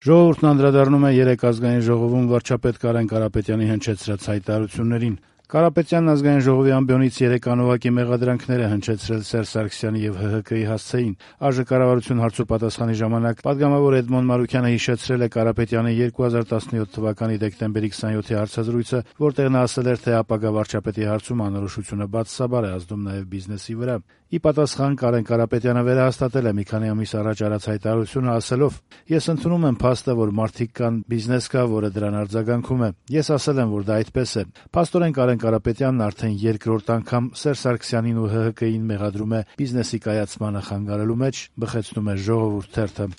Ժողովուրդն անդրադառնում է 3 ազգային ժողովում վարչապետ Կարեն Կարապետյանի հնչեցրած հայտարարություններին։ Կարապետյանն ազգային ժողովի ամբիոնից 3 անուղղակի մեղադրանքներ է հնչեցրել Սերժ Սարգսյանի եւ ՀՀԿ-ի հասցեին։ ԱԺ կառավարություն հարցուպատասխանի ժամանակ պատգամավոր Էդմոն Մարուքյանը հիշեցրել է Կարապետյանի 2017 թվականի դեկտեմբերի 27-ի հարցազրույցը, որտեղ նա ասել էր, թե ապագա վարչապետի հարցում անորոշությունը բացասաբար է ազդում նաեւ բիզնեսի վրա։ Ի պատասխան Կարեն Կարապետյանը վերահաստատել է մի քանի ամիս առաջ արած հայտարարությունը, ասելով. «Ես ընդունում եմ փաստը, որ մարդիկ կան, բիզնես կա, որը դրան արձագանքում է։ Ես ասել եմ, որ դա այդպես է»։ Փաստորեն Կարեն Կարապետյանն արդեն երկրորդ անգամ Սերժ Սարգսյանին ու ՀՀԿ-ին մեղադրում է բիզնեսի կայացմանը խանգարելու մեջ, բխեցնում է Ժողովուրդ թերթը։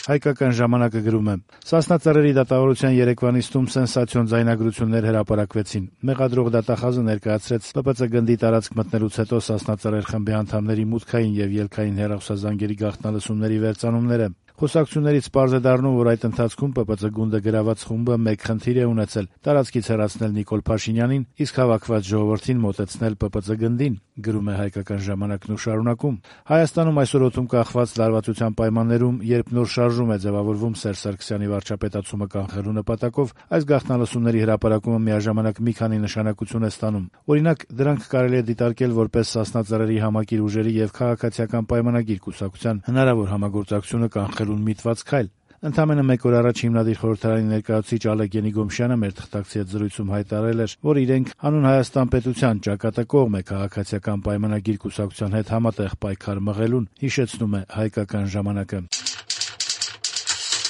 Հայկական ժամանակը գրում է. «Սասնա Ծռերի դատավարության երեկվա նիստում սենսացիոն ձայնագրություններ հրապարակվեցին։ Մեղադրող դատախազը ներկայացրեց ՊՊՑ գնդի տարածք մտնելուց հետո Սասնա Ծռեր խմբի անդամների մուտքային եւ ելքային հեռախոսազանգերի գաղտնալսումների վերծանումները։ Խոսակցություններից պարզ է դառնում, որ այդ ընթացքում ՊՊՑ գունդը գրաված խումբը մեկ խնդիր է ունեցել՝ տարածքից հեռացնել Նիկոլ Փաշինյանին, իսկ հավաքված ժողովրդին մոտեցնել ՊՊՑ գնդին», գրում է Հայկական ժամանակն ու շարունակում. «Հայաստանում այսօր օդում կախված լարվածության պայմաններում, երբ նոր շարժում է ձևավորվում Սերժ Սարգսյանի վարչապետացումը կանխելու նպատակով, այս գաղտնալսումների հրապարակումը միաժամանակ մի քանի նշանակություն է ստանում։ Օրինակ, դրանք կարելի է դիտարկել որպես Սասնա Ծռերի համակիր ուժերի եւ քաղաքացիական պայմանագիր կուսակցության հնարավոր համագործակցությունը կանխելուն միտված քայլ։ Ընդամենը մեկ օր առաջ հիմնադիր խորհրդարանի ներկայացուցիչ Ալեկ Ենիգոմշյանը մեր թղթակցի հետ զրույցում հայտարարել էր, որ իրենք հանուն Հայաստան պետության ճակատակողմ է քաղաքացիական պայմանագիր կուսակցության հետ համատեղ պայքար մղելուն, հիշեցնում է Հայկական ժամանակը։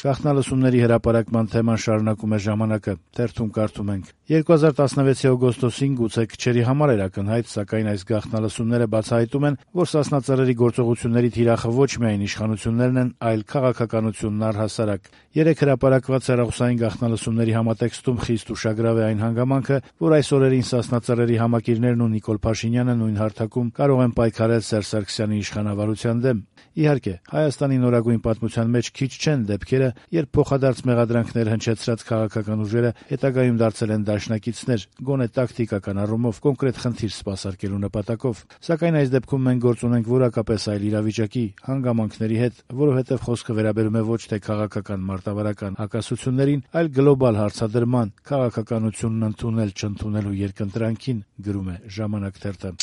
Գաղտնալսումների հրապարակման թեման շարունակում է ժամանակը, թերթում կարդում ենք. 2016-ի օգոստոսին գուցե քչերի համար էր ակնհայտ, սակայն այս գաղտնալսումները բացահայտում են, որ Սասնա Ծռերի գործողությունների թիրախը ոչ միայն իշխանություններն են, այլ քաղաքականությունն առհասարակ։ 3 հրապարակված հեռախոսային գաղտնալսումների համատեքստում խիստ ուշագրավ է այն հանգամանքը, որ այս օրերին Սասնա Ծռերի համակիրներն ու Նիկոլ Փաշինյանը նույն հարթակում կարող են պայքարել Սերժ Սարգսյանի իշխանավարության դեմ։ Իհարկե, Հայաստանի նորագույն պատմության մեջ քիչ չեն դեպքերը, երբ փոխադարձ մեղադրանքներ հնչեցրած քաղաքական ուժերը հետագայում դարձել են դաշնակիցներ, գոնե տակտիկական առումով կոնկրետ խնդիր սպասարկելու նպատակով։ Սակայն այս դեպքում մենք գործ ունենք որակապես այլ իրավիճակի, հանգամանքների հետ, որովհետև խոսքը վերաբերում է ոչ թե քաղաքական մարտավարական հակասություններին, այլ գլոբալ հարցադրման, քաղաքականությունն ընդունել-չընդունելու երկընտրանքին, գրում է Ժամանակ թերթը։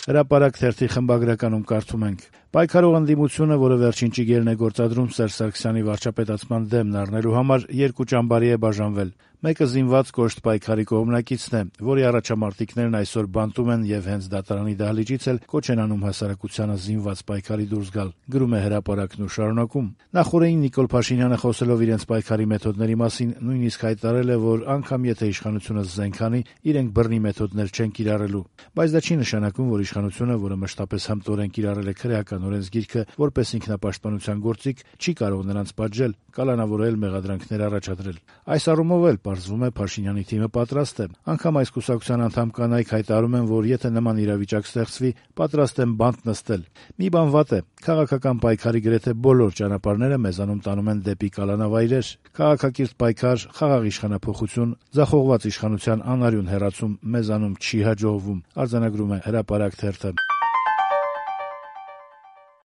Հրապարակ թերթի խմբագրականում կարդում ենք. «Պայքարող ընդդիմությունը, որը վերջին ճիգերն է գործադրում Սերժ Սարգսյանի վարչապետացման դեմն առնելու համար, երկու ճամբարի է բաժանվել։ Մեկը զինված կոշտ պայքարի կողմնակիցն է, որի առաջամարտիկներն այսօր բանտում են եւ հենց դատարանի դահլիճից էլ կոչ են անում հասարակությանը զինված պայքարի դուրս գալ», գրում է Հրապարակն ու շարունակում. «Նախորդին Նիկոլ Փաշինյանը խոսելով իրենց պայքարի մեթոդների մասին նույնիսկ հայտարարել է, որ անգամ եթե իշխանությունը զենք անի, իրենք բռնի մեթոդներ չեն կիրառելու։ Բայց դա չի նշանակում, որ իշխանությունը, որը մշտապես հմտորեն կիրառել է քրեական օրենսգիրքը որպես ինքնապաշտպանության գործիք, չի կարող նրանց պատժել, կալանավորել, մեղադրանքներ առաջադրել։ Այս առումով էլ պարզվում է Փաշինյանի թիմը պատրաստ է։ Անգամ այս կուսակցության անդամ կանայք հայտարարում են, որ եթե նման իրավիճակ ստեղծվի, պատրաստ են բանտ նստել։ Մի բան վատ է, քաղաքական պայքարի գրեթե բոլոր ճանապարհները մեզանում տանում են դեպի կալանավայրեր։ Քաղաքակիրթ պայքար, խաղաղ իշխանափոխություն, ձախողված իշխանության անարյուն հեռացում մեզանում չի հաջողվում», արձանագրում է Հրապարակ թերթը։